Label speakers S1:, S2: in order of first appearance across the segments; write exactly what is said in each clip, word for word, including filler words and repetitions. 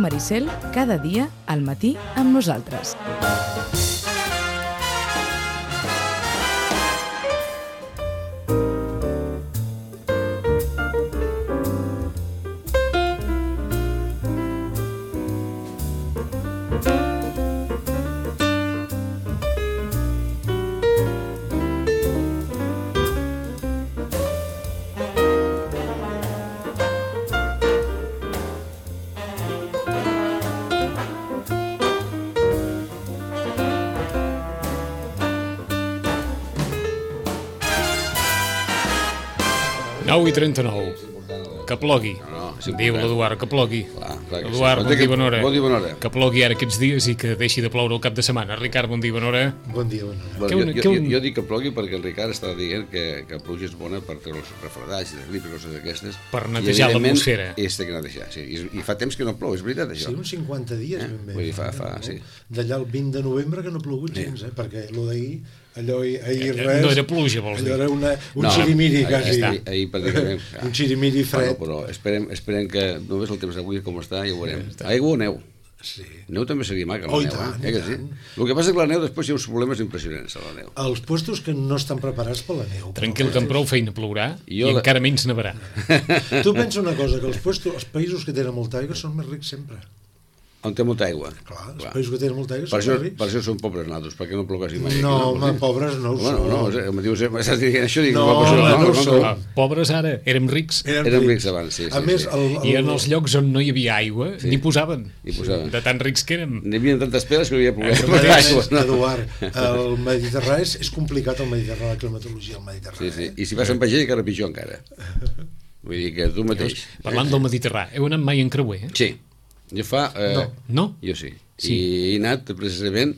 S1: Ràdio Maricel, cada dia al matí amb nosaltres.
S2: nou i trenta-nou. Que plogui. No, no, diu l'Eduard, que plogui.
S3: Clar, clar que
S2: Eduard,
S3: sí.
S2: bon dia, bona hora.
S3: Bon dia, bona hora.
S2: Que plogui ara aquests dies i que deixi de ploure el cap de setmana. Ricard, bon dia, bona hora.
S4: Bon dia, bona hora.
S3: Bueno, jo, jo, jo, jo dic que plogui perquè el Ricard està dient que, que pluja és bona per treure els refredats i les gripes i coses d'aquestes.
S2: Per netejar l'atmosfera.
S3: I és que netejar, sí. I, I fa temps que no plou, és veritat, això.
S4: Sí, uns cinquanta dies,
S3: eh?
S4: ben bé.
S3: Vull dir, fa, fa, sí.
S4: D'allà el vint de novembre que no ha plogut gens, eh? Perquè allò d'ahir, allò ahir
S2: Eh,
S4: res...
S2: no era pluja, vols dir?
S4: Allò era una, un
S3: No,
S4: xirimiri,
S3: ahir-
S4: quasi.
S3: ahir- ahir pràcticament, ja.
S4: Un xirimiri fred.
S3: Bueno, però esperem, esperem que només el temps d'avui com està ja ho veurem. Aigua o neu?
S4: Sí.
S3: Neu també seria maca, la
S4: Oh, i
S3: neu,
S4: tant,
S3: eh?
S4: i
S3: Eh que sí?
S4: tant.
S3: El que passa és que la neu després hi ha uns problemes impressionants a la neu.
S4: Els puestos que no estan preparats per la neu.
S2: Tranquil, que amb prou feina plourà i,
S3: Jo
S2: i
S3: la-
S2: encara menys nevarà.
S4: Tu pensa una cosa, que els, puestos, els països que tenen molta aigua són més rics sempre.
S3: On té molta aigua.
S4: Clar, els
S3: Clar.
S4: països que tenen molta aigua
S3: Per
S4: són
S3: això,
S4: més rics.
S3: per això són pobres nosaltres, perquè no ploguessi mai.
S4: No,
S3: aquí,
S4: home, pobres no ho
S3: Bueno,
S4: són.
S3: no, em dius, m'estàs dient això, dic,
S4: No,
S3: no,
S4: home,
S3: no,
S4: no ho
S3: no,
S4: són.
S2: Ah, pobres ara, érem rics.
S4: Eren
S3: Érem rics abans, sí,
S4: A
S3: sí,
S4: més,
S3: sí.
S4: el, el,
S2: I en els llocs on no hi havia aigua,
S3: Sí.
S2: n'hi posaven.
S3: Hi posaven.
S2: De tan rics que érem.
S3: N'hi havia tantes pedres que no hi havia
S4: El
S3: plogut.
S4: mateix, Eduard, el Mediterrani és, és complicat, el Mediterrani, la climatologia del Mediterrani.
S3: Sí, sí. I si vas amb vaixell, encara pitjor encara. Vull dir que tu mateix.
S2: Parlant del Mediterrani, heu anat mai en creuer? Eh?
S3: Sí. Jo fa... Eh,
S4: No.
S2: No?
S3: Jo sí.
S2: Sí.
S3: I he anat precisament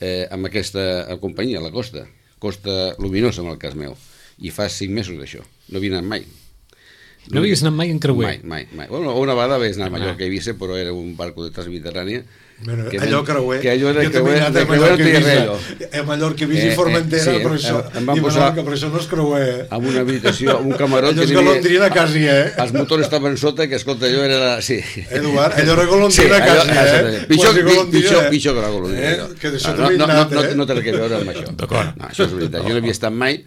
S3: eh, amb aquesta companyia, la Costa. Costa Luminosa, en el cas meu. I fa cinc mesos d'això. No havia anat mai.
S2: No havies anat mai en creuer?
S3: Mai, mai, mai. Bueno, una vegada vaig anar a Mallorca i Eivissa, però era un barco de Transmediterrània.
S4: Bueno,
S3: que
S4: allò
S3: ven-
S4: creuer,
S3: que allò era
S4: jo també he
S3: creuer,
S4: anat
S3: de
S4: a
S3: creuer no
S4: Mallorca i
S3: tenia res, allò.
S4: Eivissa, a Mallorca, Eivissa
S3: Eh,
S4: i Formentera,
S3: eh, sí,
S4: però això,
S3: em van
S4: i
S3: posar-
S4: Menorca, però això no és creuer, eh?
S3: Amb una habitació, amb un camarot...
S4: Allò és
S3: que hi havia-
S4: golondrina quasi, eh?
S3: Els motors estaven sota, que escolta, allò era... La... Sí.
S4: Eduard, allò era golondrina
S3: allò-
S4: quasi, eh?
S3: exactament. Pitjor,
S4: Quasi
S3: pi-
S4: golondrina,
S3: pitjor,
S4: eh?
S3: pitjor que la golondrina.
S4: Eh?
S3: allò.
S4: Que d'això
S3: no,
S4: també he
S3: no,
S4: anat,
S3: no, no,
S4: eh?
S3: no té res a veure amb això.
S2: D'acord.
S3: No, això és veritat. Jo no havia estat mai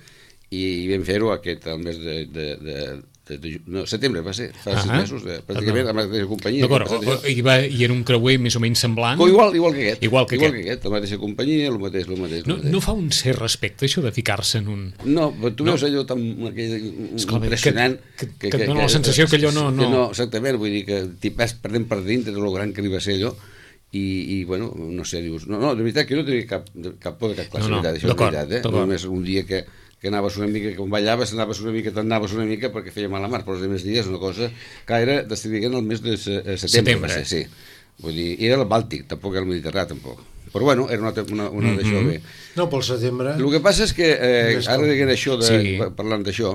S3: i vam fer-ho aquest el mes de, de, de, de, de no, setembre va ser, fa sis
S2: Ah.
S3: mesos, de, pràcticament amb la mateixa companyia.
S2: D'acord,
S3: que ha passat això.
S2: i, va, i era un creuer més o menys semblant.
S3: O igual, igual que aquest.
S2: Igual que
S3: igual
S2: aquest.
S3: que aquest, la mateixa companyia, el mateix, el mateix. el
S2: No,
S3: mateix.
S2: no fa un cert respecte, això de ficar-se en un...
S3: No, però tu
S2: No.
S3: veus allò tan aquell,
S2: Esclar,
S3: impressionant...
S2: que- que- que et dona la sensació que allò no- no-
S3: Que no, exactament, vull dir que t'hi vas perdent per dintre de lo gran que li va ser allò, i, i bueno, no sé, dius... No, no, de veritat que jo no tenia cap, cap por de cap classe,
S2: No, no,
S3: de veritat, això és
S2: d'acord,
S3: veritat, eh?
S2: d'acord.
S3: Només un dia que, que anaves una mica, que on ballaves, anaves una mica, t'anaves una mica perquè feia mala mar, però els altres dies una cosa que era, d'estar el mes de se- eh, setembre,
S2: Setembre.
S3: va ser, sí. Vull dir, i era el Bàltic, tampoc era el Mediterrani, tampoc. Però bueno, era una, una, una
S2: Mhm.
S3: d'això bé.
S4: No, pel setembre...
S3: El que passa és que, eh,
S4: Més
S3: ara
S4: com-
S3: dient això, de,
S2: Sí.
S3: parlant d'això,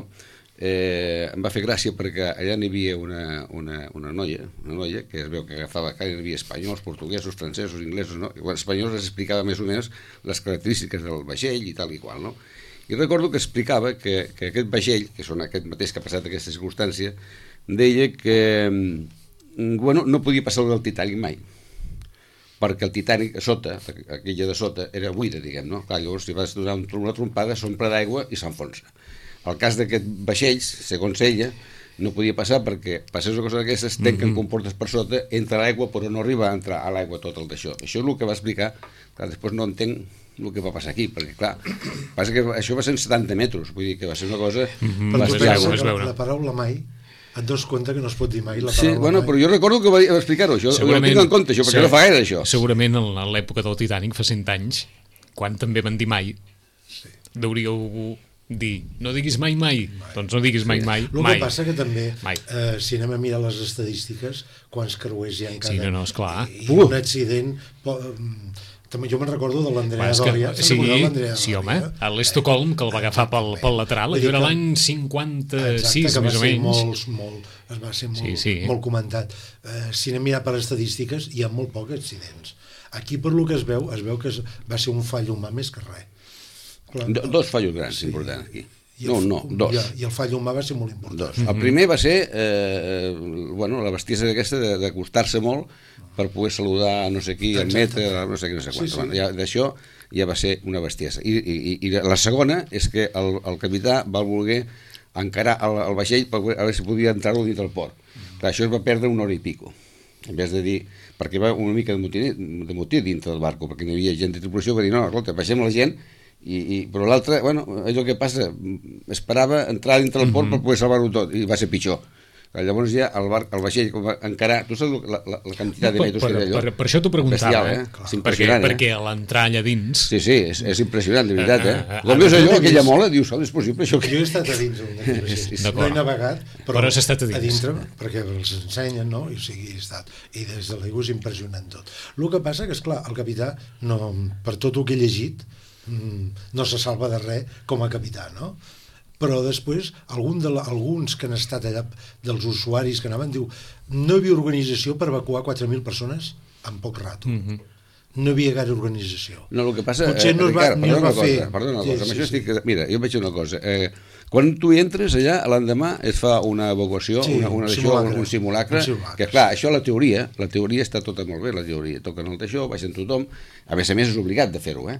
S3: eh, em va fer gràcia perquè allà n'hi havia una, una, una noia, una noia que es veu que agafava, que hi havia espanyols, portuguesos, francesos, inglesos, no? I quan els espanyols les explicava més o menys les característiques del vaixell i tal i qual, no? I recordo que explicava que, que aquest vaixell, que són aquest mateix que ha passat aquesta circumstància, deia que mm, bueno, no podia passar del Titanic mai, perquè el Titanic a sota, aquella de sota, era buida, diguem, no? Clar, llavors, si vas donar una trompada, s'omple d'aigua i s'enfonsa. El cas d'aquest vaixells, segons ella, no podia passar perquè passés una cosa d'aquestes, tanquen mm -hmm. comportes per sota, entra l'aigua, però no arriba a entrar a l'aigua tot el d'això. Això és el que va explicar, que després no entenc el que va passar aquí, perquè clar, passa que això va ser en setanta metres, vull dir que va ser una cosa...
S2: Mm -hmm.
S4: Però
S3: va
S4: tu
S3: ser
S4: pensa
S3: aigua.
S2: és
S4: que
S2: veure.
S4: la paraula mai, et dones compte que no es pot dir mai la
S3: Sí,
S4: paraula
S3: bueno,
S4: mai.
S3: però jo recordo que va, va explicar-ho, això, jo ho tinc en compte, això, perquè
S2: se-
S3: no fa gaire, això.
S2: Segurament en en l'època del Titanic, fa cent anys, quan també van dir mai,
S4: Sí.
S2: deuríeu dir, no diguis mai mai, doncs no diguis mai mai,
S4: El
S2: mai.
S4: que passa que també,
S2: Mai.
S4: eh, si anem a mirar les estadístiques, quants creuers hi ha en cada...
S2: Sí, no, no, esclar.
S4: I un accident... Po, mm, també jo me'n recordo de l'Andrea
S2: És que,
S4: Doria.
S2: sí,
S4: l'Andrea
S2: sí,
S4: Doria?
S2: home, a l'Estocolm, que el va agafar pel, pel lateral,
S4: Vull
S2: allò
S4: dir
S2: era
S4: que-
S2: l'any cinquanta-sis,
S4: Exacte, que va
S2: més o
S4: ser
S2: menys.
S4: Molt, molt, es va ser molt,
S2: Sí, sí.
S4: molt comentat. Eh, si anem a mirar per estadístiques, hi ha molt pocs accidents. Aquí, per lo que es veu, es veu que es, va ser un fall humà més que res. Clar,
S3: Do- Dos fallos grans
S4: sí.
S3: importants aquí.
S4: I
S3: no,
S4: el,
S3: no, dos.
S4: Ja, I el fall humà va ser molt important.
S3: Dos. El primer va ser eh, bueno, la bestiesa aquesta d'acostar-se molt per poder saludar no sé qui, admetre, no sé qui, no sé quant. Sí, sí. Bueno, ja, d'això ja va ser una bestiesa. I, i, i la segona és que el, el capità va voler encarar el, el vaixell per veure si podia entrar-lo dintre del port. Clar, això es va perdre una hora i pico. En vez de dir, perquè va una mica de motí, de motí dintre del barco, perquè no hi havia gent de tripulació, va dir, no, escolta, baixem la gent. I, i, però l'altre, bueno, allò que passa, esperava entrar dintre del port uh-huh. per poder salvar-ho tot, i va ser pitjor. Llavors ja el, bar, el vaixell va encarar, tu saps la, la, la quantitat de metres
S2: per,
S3: que té allò?
S2: Per, per això t'ho preguntava,
S3: bestial, eh? És impressionant,
S2: perquè,
S3: eh?
S2: perquè a l'entrar allà dins...
S3: Sí, sí, és, és impressionant, de veritat, eh? Com veus allò, aquella mola, dius, oh, és possible això?
S4: Jo he estat a dins d'un vaixell, no he navegat, però,
S2: però has estat a dins.
S4: A dintre, perquè els ensenyen, no? I, o sigui, he estat. I des de l'aigua és impressionant tot. El que passa que, esclar, el capità, no, per tot el que he llegit, no se salva de res com a capità, no? Però després, algun de la, alguns que han estat allà, dels usuaris que anaven, diu, no hi havia organització per evacuar quatre mil persones en poc rato. Mm-hmm. No hi havia gaire organització.
S3: No, el que passa...
S4: Potser no es va,
S3: Ricard,
S4: no es va
S3: cosa,
S4: fer...
S3: Perdona una
S4: sí,
S3: cosa,
S4: sí,
S3: això
S4: sí.
S3: estic... Mira, jo vaig dir una cosa. Eh, quan tu hi entres allà, l'endemà es fa una evacuació, sí, una, una un, simulacre, un, simulacre, un simulacre, que clar, això la teoria, la teoria està tota molt bé, la teoria. Toquen el d'això, baixen tothom, a més a més és obligat de fer-ho, eh?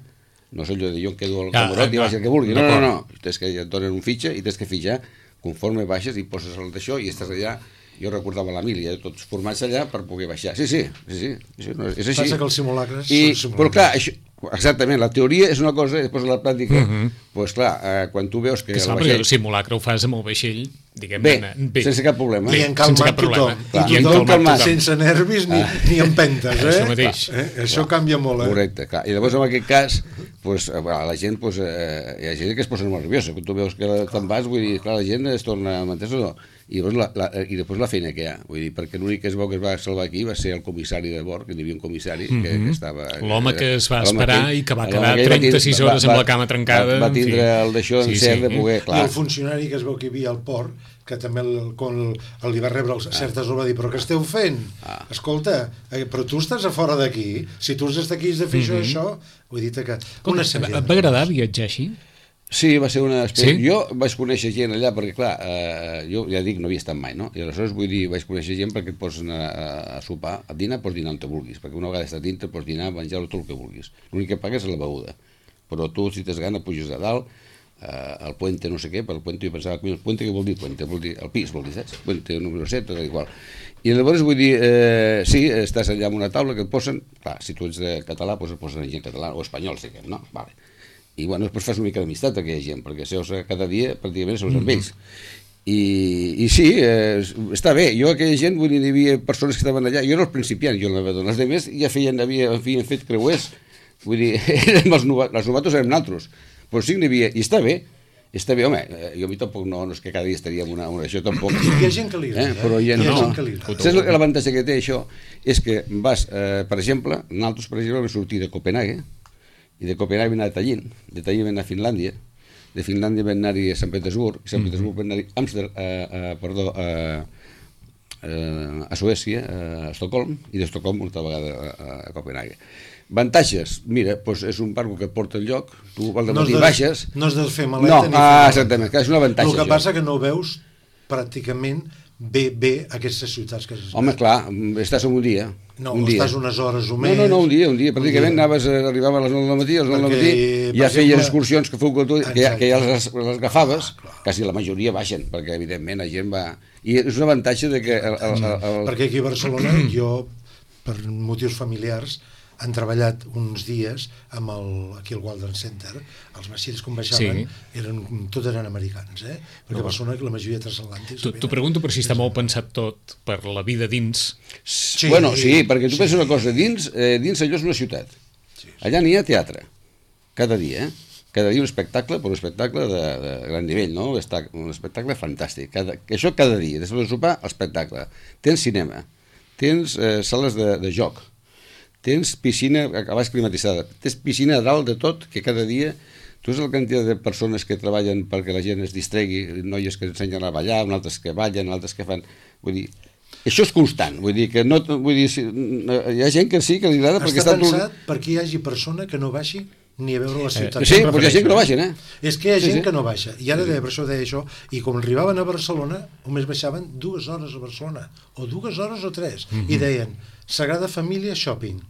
S3: No sé allò de jo em quedo al camarot ah, i baix el que vulgui. No, no, no, no. Tens que et donen un fitxa i tens que fitxar conforme baixes i poses el d'això i estàs allà. Jo recordava l'Emília, tots formats allà per poder baixar. Sí, sí, sí, sí, sí no, és així.
S4: Passa que els simulacres
S3: I,
S4: són simulacres.
S3: Però clar, això, exactament, la teoria és una cosa i després la pràctica, doncs uh-huh. pues, clar, eh, quan tu veus que...
S2: Que el, vaixell... el simulacre ho fas amb el vaixell, diguem
S3: bé, bé, sense cap problema.
S4: I en calmat tothom.
S3: Clar.
S4: I tothom calmat, sense nervis ni, ah. ni empentes, eh?
S2: Això mateix.
S4: Eh? Això clar. Canvia molt, eh?
S3: Correcte, clar. I llavors en aquest cas, pues, la gent, pues, eh, hi ha gent que es posa molt nerviosa. Quan tu veus que te'n vas, vull dir, clar, la gent es torna, m'entens o no? I després, la, la, i després la feina que hi ha, vull dir, perquè l'únic que es veu que es va salvar aquí va ser el comissari de bord, que hi havia un comissari que, mm-hmm. que estava...
S2: L'home que es va esperar que, i que va quedar trenta-sis hores va, va, amb la cama trencada.
S3: Va, va tindre el d'això
S2: sí,
S3: encert
S2: sí.
S3: de poder, clar.
S4: I el funcionari que es veu que hi havia al port, que també el, quan el, el li va rebre el, certes hores va dir, però què esteu fent? Ah. Escolta, eh, però tu estàs a fora d'aquí, si tu has d'estar aquí has de fer mm-hmm. això, això, vull dir que... Una
S2: et va agradar viatjar així?
S3: Sí, va ser una experiència. Sí? Jo vaig conèixer gent allà perquè, clar, eh, jo ja dic, no havia estat mai, no? I aleshores, vull dir, vaig conèixer gent perquè et pots anar a, a sopar, a dinar, pots dinar on te vulguis, perquè una vegada estàs dintre pots dinar, menjar tot el que vulguis. L'únic que pagues és la beguda. Però tu, si tens gana, puges a dalt, eh, al puente no sé què, per el puente jo pensava, el puente què vol dir puente? Vol dir el pis, vol dir, saps? Puente número set, tot igual. I llavors, vull dir, eh, sí, estàs allà amb una taula que et posen, clar, si tu ets de català, doncs et posen gent català, o espanyol, si que no, vale. I bueno, després fas una mica d'amistat aquella gent, perquè seus cada dia pràcticament seus amb ells. I, i sí, eh, està bé, jo aquella gent, vull dir, hi havia persones que estaven allà, jo era el principiant, jo el navegador, els altres ja feien, havia, havien fet creuers, vull dir, érem els novatos, els novatos érem nosaltres, però sí que n'hi havia, i està bé, està bé, home, jo a mi tampoc no, no és que cada dia estaríem una, una això tampoc.
S4: Hi ha gent que li agrada,
S3: eh? Però hi ha,
S4: hi ha
S3: no,
S4: gent que li agrada.
S3: Saps l'avantatge que té això? És que vas, eh, per exemple, nosaltres, per exemple, vam sortir de Copenhague, i de Copenhague vam anar a Tallinn, de Tallinn vam anar a Finlàndia, de Finlàndia vam anar a Sant Petersburg, i Sant Petersburg vam anar a Amsterdam, a, a, perdó, a, a, a Suècia, a Estocolm, i d'Estocolm una altra vegada a, a Copenhague. Avantatges, mira, doncs és un barco que et porta al lloc, tu al dematí
S4: no
S3: baixes...
S4: No has de fer maleta
S3: no,
S4: ni
S3: fer ah, exactament, és un avantatge.
S4: El que això. Passa que no veus pràcticament bé, bé aquestes ciutats que has estat.
S3: Home, clar, estàs en un dia.
S4: No,
S3: un
S4: estàs
S3: dia.
S4: unes hores o més.
S3: No, no, no, un dia, un dia. Pràcticament anaves, arribava a les nou del matí, a les nou del matí, ja feies excursions que feu que, tu, que, ja, que ja les, les agafaves, clar, clar. Quasi la majoria baixen, perquè evidentment la gent va... I és un avantatge de que... El, el, el, el...
S4: Perquè aquí a Barcelona, jo, per motius familiars, han treballat uns dies amb el, aquí al Walden Center, els vaixells com baixaven, sí. eren, tot eren americans, eh? Perquè no. A Barcelona la majoria de transatlàntics...
S2: T'ho pregunto per si està molt pensat tot per la vida dins.
S3: Sí, bueno, sí, perquè tu sí. penses una cosa, dins, eh, dins allò és una ciutat. Sí, sí. Allà n'hi ha teatre, cada dia, eh? Cada dia un espectacle, però un espectacle de, de gran nivell, no? Un espectacle fantàstic. Cada, això cada dia, després de sopar, espectacle. Tens cinema, tens eh, sales de, de joc, tens piscina a baix climatitzada, tens piscina a dalt de tot, que cada dia, tu és la quantitat de persones que treballen perquè la gent es distregui, noies que ensenyen a ballar, altres que ballen, altres que fan... Vull dir, això és constant, vull dir que no... Vull dir, hi ha gent que sí que li agrada perquè
S4: està...
S3: Està
S4: pensat perquè hi hagi persona que no baixi ni a veure la ciutat.
S3: Eh, sí, però hi ha gent que no baixen, eh?
S4: És que hi ha
S3: sí,
S4: gent
S3: sí.
S4: que no baixa. I ara deia, per això deia això, i com arribaven a Barcelona, només baixaven dues hores a Barcelona, o dues hores o tres, mm -hmm. i deien, Sagrada Família Shopping,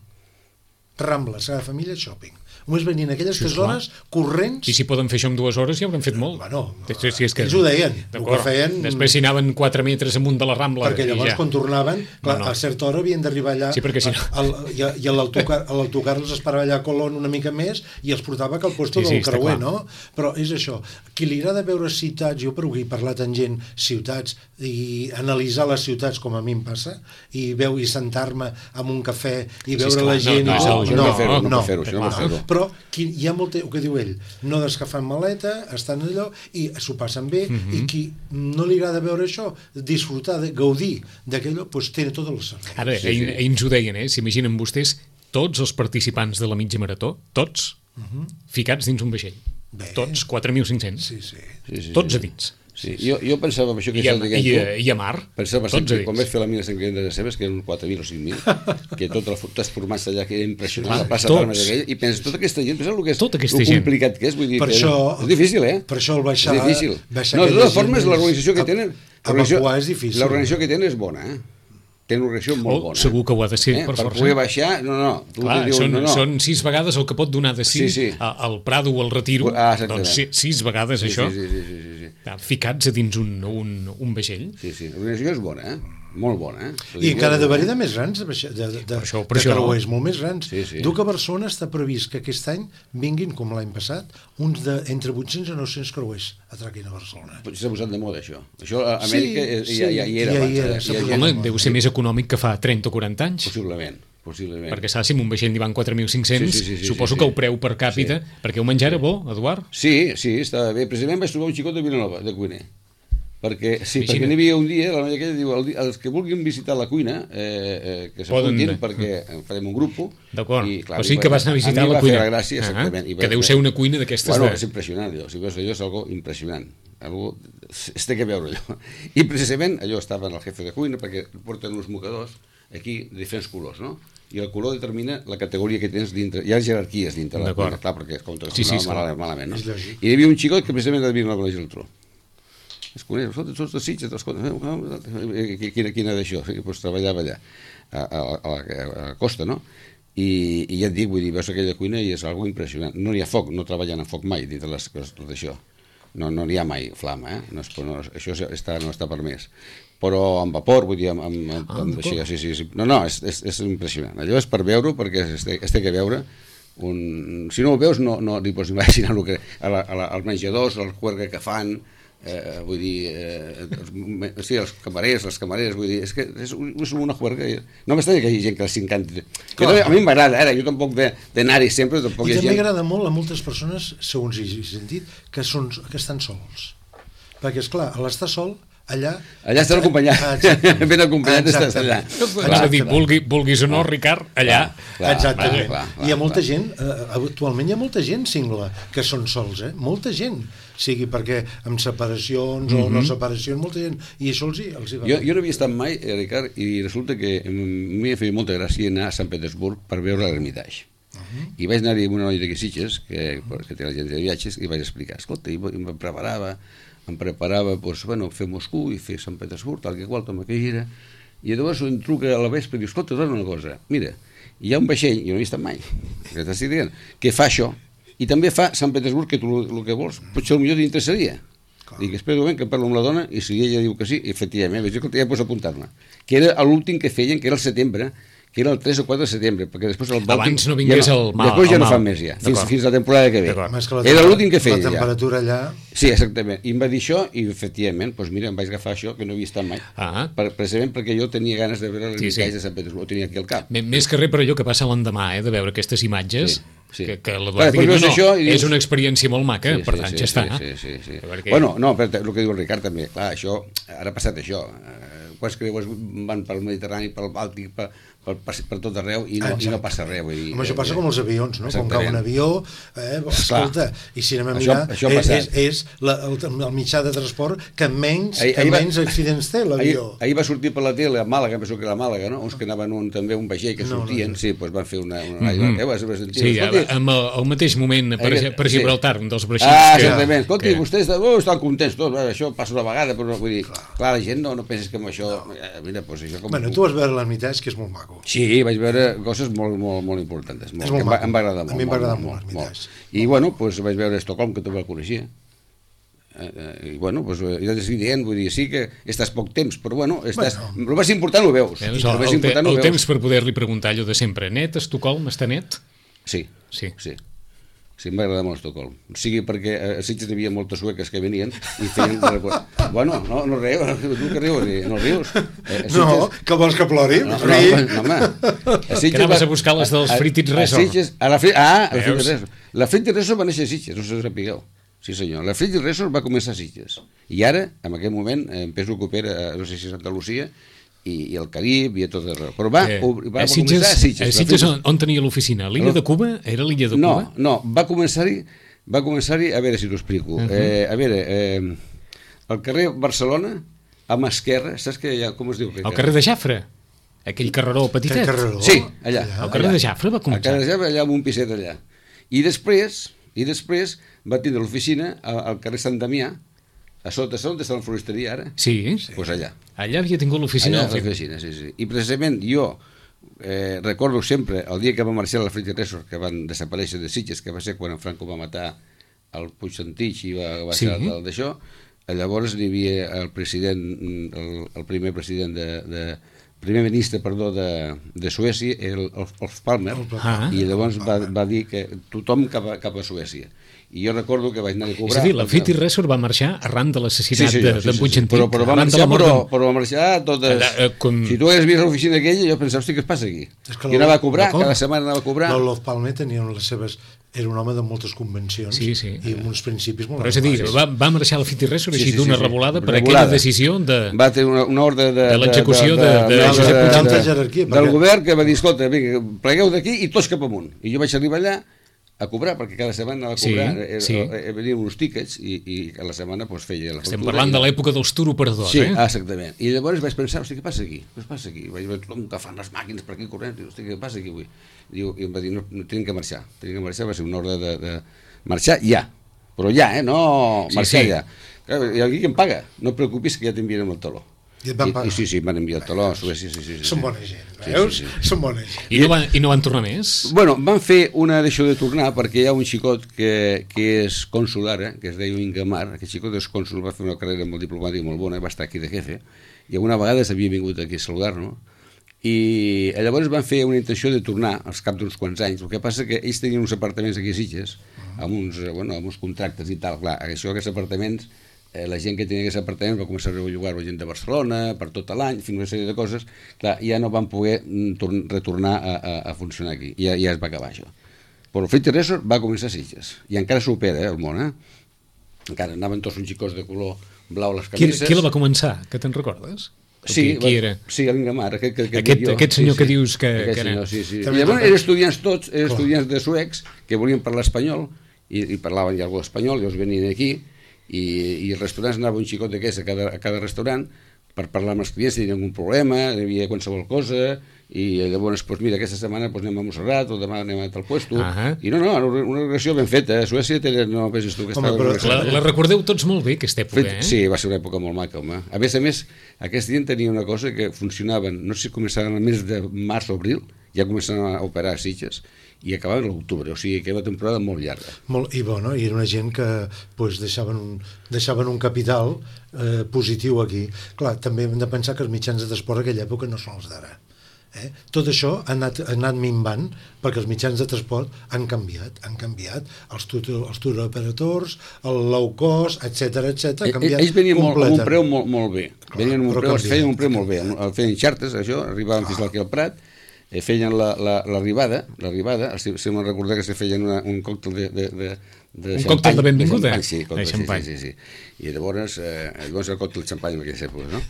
S4: Rambla, Sagrada Família Shopping. Només venien aquelles
S2: sí,
S4: tres hores corrents.
S2: I si poden fer això en dues hores ja haurem fet molt.
S4: Bueno,
S2: sí, sí, és que...
S4: ells ho deien. El que feien...
S2: Després si anaven quatre metres amunt de la Rambla...
S4: Perquè llavors
S2: ja.
S4: quan tornaven, clar,
S2: no, no.
S4: a certa hora havien d'arribar allà,
S2: sí, perquè si no...
S4: el, i, i l'autocar els esperava allà a Colón una mica més i els portava cap al puesto
S2: sí, sí,
S4: del creuer, no? Però és això. Qui li agrada veure ciutats, jo per avui he parlat amb gent, ciutats, i analitzar les ciutats com a mi em passa, i veu i sentar-me amb un cafè i veure
S2: sí,
S4: la gent...
S2: No, no,
S3: no, no, no, fer-ho, no, fer-ho, no, no, fer-ho.
S4: Però qui, hi ha molt, el que diu ell, no descafant maleta, estan allò, i s'ho passen bé, uh -huh. i qui no li agrada veure això, disfrutar, de, gaudir d'aquello, doncs té tot el servei.
S2: Ara, sí, sí. ells ho deien, eh? S'imaginen vostès tots els participants de la mitja marató, tots, uh -huh. ficats dins un vaixell. Bé. Tots, quatre mil cinc-cents.
S4: Sí, sí.
S3: sí, sí
S2: tots
S3: sí.
S2: a dins.
S3: Sí, jo, jo pensava això que
S2: I a,
S3: estàs dient
S2: i,
S3: tu.
S2: I a mar,
S3: pensava
S2: tots a dins.
S3: Quan vaig fer la mina Sant Client de les Cebes, que eren quatre mil o cinc mil, que tot el, tots formats allà, que era impressionant, la plaça d'armes aquella, i penses, tota aquesta gent, penseu el que és,
S2: tota
S3: el complicat
S2: gent.
S3: que és, vull dir,
S4: per
S3: que
S4: això,
S3: és difícil, eh?
S4: Per això el baixar...
S3: És difícil.
S4: Baixar
S3: no, de totes formes, l'organització que tenen...
S4: Evacuar és difícil.
S3: L'organització que tenen és bona, eh? Tenen una organització molt
S2: oh,
S3: bona.
S2: Segur que ho ha de ser,
S3: eh?
S2: per,
S3: per
S2: força.
S3: Per poder baixar, no, no. Tu
S2: Clar,
S3: dius,
S2: són,
S3: no, no.
S2: són sis vegades el que pot donar de sis
S3: sí, sí.
S2: al Prado o al Retiro,
S3: ah,
S2: doncs sis, sis vegades
S3: sí,
S2: això,
S3: sí, sí, sí, sí, sí.
S2: ficats a dins un, un, un vaixell.
S3: Sí, sí, l'organització és bona, eh? Molt bona, eh?
S4: I encara de verí de més grans, de, de, de,
S2: per això, per
S4: de
S2: això.
S4: creuers molt més grans.
S3: Sí, sí.
S4: Diu que a Barcelona està previst que aquest any vinguin, com l'any passat, uns de entre vuit-cents i nou-cents creuers atraquin a Barcelona.
S3: S'ha posat de moda, això. Això a Amèrica sí, ja, ja hi era.
S4: Ja
S3: abans,
S4: hi era,
S3: eh?
S4: s'ha
S3: ja,
S4: posat
S3: ja,
S2: Home,
S4: de moda.
S2: deu ser més econòmic que fa trenta o quaranta anys.
S3: Possiblement, possiblement.
S2: Perquè saps, si amb un vaixell n'hi van quatre mil cinc-cents,
S3: sí, sí, sí, sí,
S2: suposo
S3: sí, sí.
S2: que el preu per càpita, sí. perquè el menjar era bo, Eduard?
S3: Sí, sí, estava bé. Precisament vaig trobar un xicot de Vilanova, de cuiner. Perquè, sí,
S2: Vigina.
S3: perquè n'hi havia un dia, la noia aquella diu, el, els que vulguin visitar la cuina, eh, eh, que s'apuntin, perquè farem un grup.
S2: D'acord, o sigui que vas anar a visitar la cuina.
S3: A mi va fer la gràcia, exactament.
S2: Uh -huh. Que deu ser una cuina d'aquestes
S3: bueno,
S2: de...
S3: és impressionant, allò. Si veus allò, és algo impressionant. Algo... Es té que veure allò. I precisament allò estava en el jefe de cuina, perquè porten uns mocadors aquí de diferents colors, no? I el color determina la categoria que tens dintre. Hi ha jerarquies dintre la cuina, clar, perquè es compta
S2: sí, sí,
S3: mal, malament, no?
S4: I
S3: hi havia un xicot que precisament devia anar a la Geltrú. Es coneix, escolta, tots els Sitges, quina, quina d'això, doncs treballava allà, a, a, a, a la costa, no? I, i ja et dic, vull dir, veus aquella cuina i és algo impressionant. No hi ha foc, no treballen en foc mai dintre les coses d'això. No, no n'hi ha mai flama, eh? No és, no, això està, no està permès. Però amb vapor, vull dir, amb, amb, amb,
S2: ah,
S3: amb això, sí, sí, sí. No, no, és, és, és impressionant. Allò és per veure-ho, perquè es té, es té que veure. Un... Si no ho veus, no, no li pots imaginar el que, a la, a la, als menjadors, el juerga que fan, eh, vull dir, eh, els, sí, els camarers, les camareres, vull dir, és que és, és una juerga. No m'estranya que hi hagi gent que els encanti. A mi m'agrada, ara, jo tampoc d'anar-hi sempre, tampoc
S4: I
S3: hi ha
S4: també
S3: gent...
S4: agrada molt a moltes persones, segons he sentit, que, són, que estan sols. Perquè, esclar, a l'estar sol, allà...
S3: Allà estan acompanyats, ben acompanyats estàs allà.
S2: És a dir, vulgui, vulguis o no, Ricard, allà...
S4: Clar, exactament.
S3: Clar, clar,
S4: hi ha molta
S3: clar.
S4: gent, eh, actualment hi ha molta gent single que són sols, eh? Molta gent. Sigui perquè amb separacions o no separacions, molta gent. I això els hi, els hi va.
S3: Jo, jo no havia estat mai, eh, Ricard, i resulta que m'hi feia molta gràcia anar a Sant Petersburg per veure l'Ermitage. Uh -huh. I vaig anar-hi amb una noia d'aquí Sitges, que, que té l'agència de viatges, i vaig explicar, escolta, i em preparava, em preparava, doncs, bueno, fer Moscou i fer Sant Petersburg, tal que qual, com que gira, i llavors em truca a la vespre i diu, escolta, dona una cosa, mira, hi ha un vaixell, jo no hi he estat mai, que t'estic dient, que fa això, i també fa Sant Petersburg, que tu el que vols, potser potser t'interessaria. Dic, espera un moment que parlo amb la dona, i si ella diu que sí, efectivament, vaig dir, escolta, ja pots apuntar-me. Que era l'últim que feien, que era el setembre, que era el tres o quatre de setembre, perquè després el Bàltic...
S2: Abans no vingués
S3: ja no,
S2: el mal.
S3: Després ja
S2: el
S3: no
S2: mal.
S3: fan més ja, fins, fins la temporada que ve.
S4: Que
S3: era l'últim que feia
S4: la temperatura
S3: ja.
S4: allà...
S3: Sí, exactament. I em va dir això, i efectivament, doncs mira, em vaig agafar això, que no havia estat mai,
S2: ah.
S3: per, precisament perquè jo tenia ganes de veure
S2: sí,
S3: l'Ermitage
S2: sí.
S3: de Sant Petersburg, ho tenia aquí al cap.
S2: Més que res per allò que passa l'endemà, eh, de veure aquestes imatges...
S3: Sí. Sí.
S2: que, que l'Eduard digui, no, no, això dius... és una experiència molt maca, sí, per tant, sí, ja
S3: sí,
S2: està.
S3: Sí, sí, sí.
S2: Perquè...
S3: Bueno, no, però el que diu el Ricard també, clar, això, ara ha passat això, eh, quants creuers van pel Mediterrani, pel Bàltic, per, per, per tot arreu i no, i no passa res. Vull dir,
S4: Home, això passa
S3: eh,
S4: com els avions, no? Quan cau un avió, eh, escolta, i si anem a mirar, això, això és, és la, el, el mitjà de transport que menys, ahir, que ahir menys va, accidents té, l'avió.
S3: Ahir, ahir va sortir per la tele a Màlaga, penso que era a Màlaga, no? Uns que anaven un, també un vaixell que sortien, no, no, no. sí, doncs van fer una... una mm -hmm. eh, vas, vas sentir,
S2: sí, amb el, el mateix moment per, ahir, per Gibraltar, sí. un dels vaixells
S3: ah,
S2: que...
S3: exactament, escolti, que... vostès oh, estan contents tots, això passa una vegada, però vull dir, clar, clar la gent no, no penses que amb això... No. Eh, mira, doncs això com...
S4: Bueno, tu vas veure l'Ermitàs, que és molt maco.
S3: Sí, vaig veure coses molt, molt, molt importants. Molt, molt em, va, em va agradar molt.
S4: A mi em va agradar molt,
S3: molt, molt, molt. I, bueno, doncs vaig veure Estocolm, que també el coneixia. Eh, I, bueno, doncs, ja t'estic dient, vull dir, sí que estàs poc temps, però, bueno, estàs... Bueno. El més important ho veus.
S2: Veus el, el, el, el temps per poder-li preguntar allò de sempre. Net, Estocolm, està net?
S3: Sí,
S2: sí.
S3: sí. Sí, em va agradar molt Estocolm. O sigui, perquè a Sitges hi havia moltes sueques que venien i feien... Bueno, no, no rius, tu que rius, no rius.
S4: Eh, Sitges... No, que vols que plori?
S3: No, no, no, home.
S2: A Sitges que anaves va... a buscar les dels Fritit Resort.
S3: A Sitges, a la Fri... Ah, a la Fritit Resort. La Fritit Resort va néixer a Sitges, no se sapigueu. Sí, senyor. La Fritit Resort va començar a Sitges. I ara, en aquell moment, em penso que opera, no sé si a Santa Lucía, i, i el Carib i a tot arreu. Però va, eh, va, va
S2: Sitges,
S3: començar a Sitges.
S2: A Sitges on, on tenia l'oficina? L'illa de Cuba? Era l'illa de
S3: no,
S2: Cuba?
S3: No, va començar-hi, va començar-hi, a veure si t'ho explico. Uh -huh. eh, a veure, eh, al carrer Barcelona, a mà esquerra, saps que hi ha, com es diu?
S2: Al carrer de Jafre? Aquell carreró petitet?
S4: Carreró?
S3: Sí, allà.
S2: Al carrer
S3: allà.
S2: de Jafre va començar?
S3: Al carrer de Jafre, allà amb un piset allà. I després, i després va tindre l'oficina al carrer Sant Damià, a sota, on està la floristeria ara?
S2: Sí.
S3: Doncs pues allà.
S2: Allà havia tingut l'oficina.
S3: Allà l'oficina, sí, sí. I precisament jo eh, recordo sempre el dia que va marxar la Fritit Resort, que van desaparèixer de Sitges, que va ser quan en Franco va matar el Puig Santich i va, va
S2: sí.
S3: ser el d'això. Llavors hi havia el president, el, el primer president de... de primer ministre, perdó, de, de Suècia, el Olof Palme, ah. i llavors va, va dir que tothom cap a, cap a Suècia. I jo recordo que vaig anar a cobrar...
S2: És a dir, la Fritit Resort va marxar arran de l'assassinat sí, sí, de, sí, de Puig Antic.
S3: Però, però va marxar, però, però va marxar totes... Allà, eh, com... Si tu hagués vist l'oficina aquella, jo pensava, hosti, què es passa aquí? I anava a cobrar, cada setmana anava a cobrar...
S4: L'Olof Palme tenia les seves... Era un home de moltes convencions
S2: sí, sí.
S4: i amb uns principis molt...
S2: Però és a dir, va, va marxar la Fritit Resort així sí, sí, d'una sí, sí. revolada per
S3: revolada.
S2: Aquella decisió de...
S3: Va tenir una, una ordre de...
S2: De l'execució de... de, de, de, de,
S4: de, de, de jerarquia.
S3: Del govern que va dir, escolta, vinga, plegueu d'aquí i tots cap amunt. I jo vaig arribar allà a cobrar, perquè cada setmana anava a cobrar, sí, sí. venien uns tíquets i, i a la setmana pues, feia la factura.
S2: Estem parlant i... de l'època dels turoperadors,
S3: sí,
S2: eh?
S3: Sí, exactament. I llavors vaig pensar, hosti, què passa aquí? Què passa aquí? Vaig veure tothom agafant les màquines per aquí corrent, i hosti, què passa aquí avui? Diu, i em va dir, no, no tenim que marxar, tenim que marxar, va ser una ordre de, de marxar ja, però ja, eh? No marxar sí, sí. ja. Clar, i aquí qui em paga? No et preocupis que ja t'enviarem el taló.
S4: I et van pagar?
S3: I, i sí, sí, em van enviar el taló a Suècia, sí, sí, sí.
S4: Són bona gent, veus? Sí, sí, sí. Són bona gent.
S2: I no, van, I no van tornar més?
S3: Bueno, van fer una d'això de tornar perquè hi ha un xicot que, que és cònsul ara, que es deia Ingamar, aquest xicot és cònsul, va fer una carrera molt diplomàtica molt bona, va estar aquí de jefe, i alguna vegada s'havia vingut aquí a saludar-nos, i llavors van fer una intenció de tornar als cap d'uns quants anys. El que passa que ells tenien uns apartaments aquí a Sitges, amb uns, bueno, amb uns contractes i tal, clar, això, aquests apartaments, eh, la gent que tenia aquests apartaments va començar a rellogar la gent de Barcelona per tot l'any, fins una sèrie de coses, clar, ja no van poder retornar a, a, a funcionar aquí, ja, ja es va acabar això. Però el Fritit Resort va començar a Sitges, i encara s'opera, eh, el món, eh? Encara anaven tots uns xicos de color blau a les camises.
S2: Qui, qui la va començar, que te'n recordes?
S3: Sí,
S2: qui, qui era?
S3: Sí, l'Ingamar, aquest, aquest,
S2: aquest, aquest senyor
S3: sí,
S2: que dius que,
S3: aquest
S2: que era.
S3: Senyor, sí, sí. I llavors eren estudiants tots, eren estudiants de suecs que volien parlar espanyol i, i parlaven ja algú d'espanyol, llavors venien aquí i, i els restaurants anava un xicot d'aquest a cada, a cada restaurant per parlar amb els clients si tenien algun problema, hi havia qualsevol cosa i llavors, doncs mira, aquesta setmana doncs, anem a Montserrat o demà anem a tal puesto uh -huh. i no, no, una relació ben feta, a Suècia tenen, no penses tu que
S2: home, però la, la recordeu tots molt bé aquesta època, eh?
S3: Sí, va ser una època molt maca, home. A més a més, aquest dia tenia una cosa que funcionaven, no sé si començaven el mes de març o abril, ja començaven a operar a Sitges i acabaven a l'octubre, o sigui que era una temporada molt llarga.
S4: Molt, I bueno, i era una gent que pues, deixaven, un, deixaven un capital eh, positiu aquí. Clar, també hem de pensar que els mitjans de transport a aquella època no són els d'ara. Eh? Tot això ha anat, ha anat minvant perquè els mitjans de transport han canviat, han canviat els, tutor, els touroperators, el low cost, etcètera, etcètera, ha canviat.
S3: Ells venien molt, amb un preu molt, molt bé, venien amb un preu, es feien un preu molt bé, el feien xartes, això, arribaven fins aquí al Prat, eh, feien l'arribada, la, l'arribada, si me'n recordar que se feien una, un còctel de, de, de, de
S2: un còctel de benvinguda.
S3: De sí, còctel,
S2: de xampany.
S3: Sí, sí, sí. I llavors, eh, llavors el còctel de xampany en aquelles èpoques, no?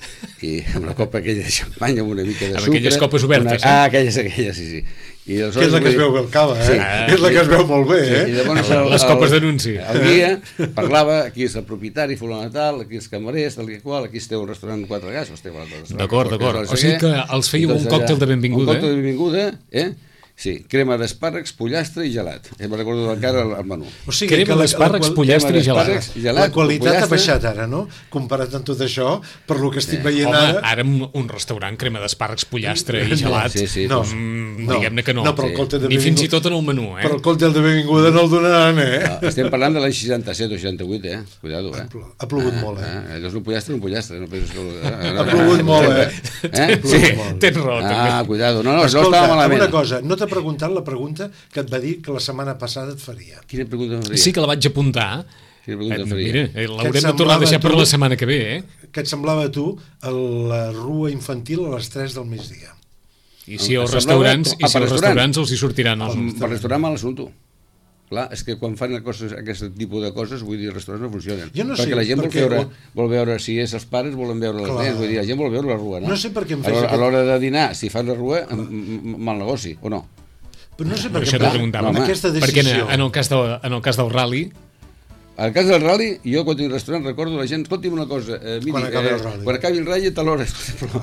S3: I amb la copa aquella de xampany, amb una mica de
S2: amb
S3: sucre...
S2: aquelles copes obertes,
S3: una... Ah, aquelles, aquelles, sí, sí. I
S4: que és la que es veu bé al cava, eh? Sí. És la que es veu molt bé, eh?
S3: Sí, i llavors el,
S2: les copes d'anunci.
S3: El guia parlava, aquí és el propietari, fulano tal, aquí és camarers, tal i qual, aquí esteu un restaurant quatre gas, esteu un altre restaurant.
S2: D'acord, d'acord. O sigui que els fèieu un còctel de benvinguda,
S3: eh? Un còctel de benvinguda, eh? Sí, crema d'espàrrecs, pollastre i gelat. Ja me'n recordo encara el menú.
S4: O sigui,
S2: crema d'espàrrecs, pollastre i gelat.
S4: La qualitat ha baixat ara, no? Comparat amb tot això, per lo que estic
S2: eh.
S4: veient
S2: Home,
S4: ara...
S2: ara un restaurant, crema d'espàrrecs, pollastre i gelat,
S3: sí, sí,
S2: no,
S3: doncs,
S2: no, diguem-ne que no.
S4: no però el
S2: ni fins i tot en el menú, eh?
S4: Però el còctel de benvinguda no el donaran, eh?
S3: No, estem parlant de l'any seixanta-set o seixanta-vuit, eh? Cuidado, eh?
S4: Ha plogut molt, eh?
S3: eh? Allò és un pollastre, un pollastre. No penses que... eh?
S4: Ha plogut molt, eh?
S3: eh?
S2: Sí, tens raó, també.
S3: Ah, cuidado. No, no,
S4: Escolta,
S3: no estava malament.
S4: una cosa, no t'ha preguntat la pregunta que et va dir que la setmana passada et faria.
S3: Quina pregunta em faria?
S2: Sí que la vaig apuntar.
S3: Quina pregunta em
S2: Eh,
S3: faria?
S2: mira, eh, l'haurem de tornar a deixar per la setmana que ve, eh?
S4: Què et semblava a tu a la rua infantil a les tres del migdia?
S2: I si els
S3: Em semblava-
S2: restaurants, i
S3: ah,
S2: si
S3: per
S2: els
S3: restaurant.
S2: restaurants els hi sortiran els...
S3: Per restaurant mal assumpto. Clar, és que quan fan coses, aquest tipus de coses, vull dir, els restaurants no funcionen.
S4: Jo no sé,
S3: perquè la gent vol
S4: perquè-
S3: veure, vol veure, si és els pares, volen veure les
S4: Clar.
S3: nens, vull dir, la gent vol veure la rua, no?
S4: No sé per què em
S3: A
S4: fes
S3: l'hora-
S4: aquest-
S3: A l'hora de dinar, si fan la rua, m- m- mal negoci, o no?
S4: Però no sé per
S2: Això
S4: què
S2: t'ho preguntava.
S3: home,
S4: aquesta
S2: Perquè en,
S4: decisió...
S2: en, el cas del, en el cas del rally,
S3: Al cas del rally, jo quan tinc un restaurant recordo la gent, escolti'm una cosa, eh, miri,
S4: Quan acabi
S3: eh,
S4: el rally.
S3: quan acabi el rally a tal hora, però,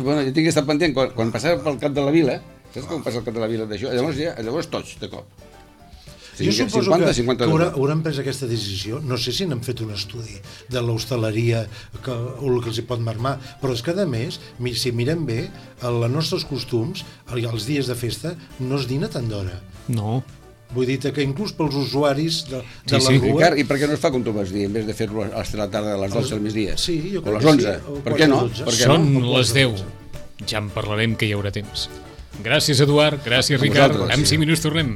S3: bueno, jo tinc que estar pendent, quan, quan passava pel cap de la vila, saps com passa el cap de la vila d'això? Llavors ja, llavors tots, de cop.
S4: Jo suposo
S3: cinquanta,
S4: que,
S3: cinquanta
S4: que haurà, hauran pres aquesta decisió, no sé si n'han fet un estudi de l'hostaleria que, o el que els hi pot marmar, però és que a més, mi- si mirem bé, els nostres costums, el- els dies de festa, no es dina tant d'hora.
S2: no.
S4: Vull dir que inclús pels usuaris de, de
S2: Sí,
S4: la
S2: sí.
S4: rua...
S3: Ricard, i per què no es fa com tu vas dir, en vez de fer-lo a les la tarda, a les dotze del migdia?
S4: Sí, jo
S3: o
S4: crec
S3: a les
S4: que
S3: onze?
S4: sí, o
S3: Per què no?
S4: quatre, dotze.
S3: Per què
S2: Són
S3: no?
S2: les deu. Ja en parlarem, que hi haurà temps. Gràcies, Eduard. Gràcies,
S3: A
S2: Ricard.
S3: vosaltres,
S2: En
S3: sí.
S2: cinc minuts tornem.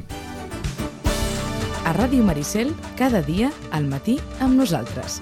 S1: A Ràdio Maricel, cada dia, al matí, amb nosaltres.